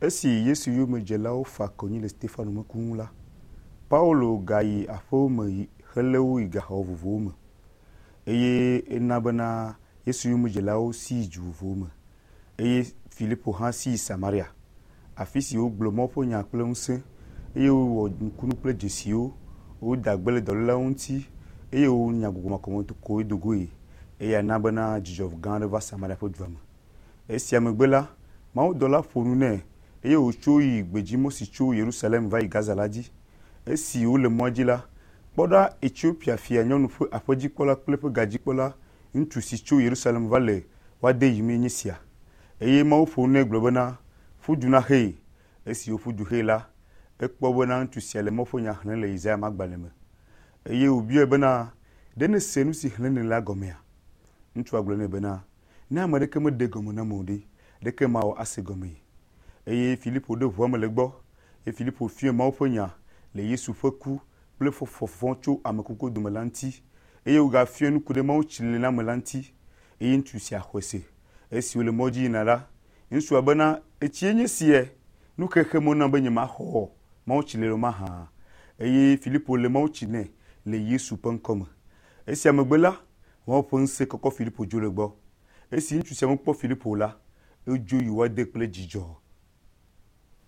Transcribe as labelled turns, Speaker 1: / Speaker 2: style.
Speaker 1: Esi Yesu yomedzelawo fa konyi le Stefano ƒe ku ŋu la, Paulo gayi aƒewo me yi helé wo yi gaxɔ vovovowo me. Eye ena bena Yesu yomedzelawo si yi du vovovowo me. Eye Filipo hã si yi Samaria, afi si wogblɔ Mawu ƒe nya kple ŋusẽ eye wowɔ nukunu kple dzesiwo. Woda gbe le dɔlélawo ŋuti eye wonya gbɔgbɔ makɔmakɔwo do goe. Eya na bena dzidzɔ gã aɖe va Samaria ƒe dua me. Esia megbe la, mawudɔla ƒo nu nɛ eye wòtso yi gbedzimɔ si tso Yerusalem va yi Gaza la dzi. Esi wole mɔa dzi la, kpɔ ɖa Etiopia fia nyɔnu ƒe aƒedzikpɔla kple eƒe gadzikpɔla ŋutsu si tso Yerusalem va le woa de yim nye sia. Eye Mawu ƒo nu nɛ gblɔ bena, ƒu du na xee. Esi wòƒu du xee la, ekpɔ bena ŋutsu sia le Mawu ƒe nya xlẽm le Yesaya ƒe agbalẽ me. Eye wòbiae bena, ɖe nèse nu si xlẽm nèle la gɔmea? Ŋutsua gblɔ nɛ bena, ne ame aɖeke meɖe gɔme nam o ɖe, ɖeke mawɔ ase gɔmee. Eye Filipo ɖo ʋua me le egbɔ eye Filipo fia Mawu ƒe nya le Yesu ƒe ku kple fɔfɔ tso ame kukuwo dome la ŋuti eye wògafia nu ku ɖe Mawu tsilelaname la ŋuti eye ŋutsu sia xɔe se. Esi wòle mɔ dzi yina la, ŋutsua bena etsie nye sie nu xexe mɔ nam be nyemaxɔ Mawu tsilele o mahã. Eye Filipo le Mawu tsi nɛ le Yesu ƒe ŋkɔ me. Esia megbe la, Mawu ƒe ŋusẽ kɔkɔ Filipo dzo le egbɔ. Esi ŋutsu sia mekpɔ Filipo o la, edzo yi woa de kple dzidzɔ.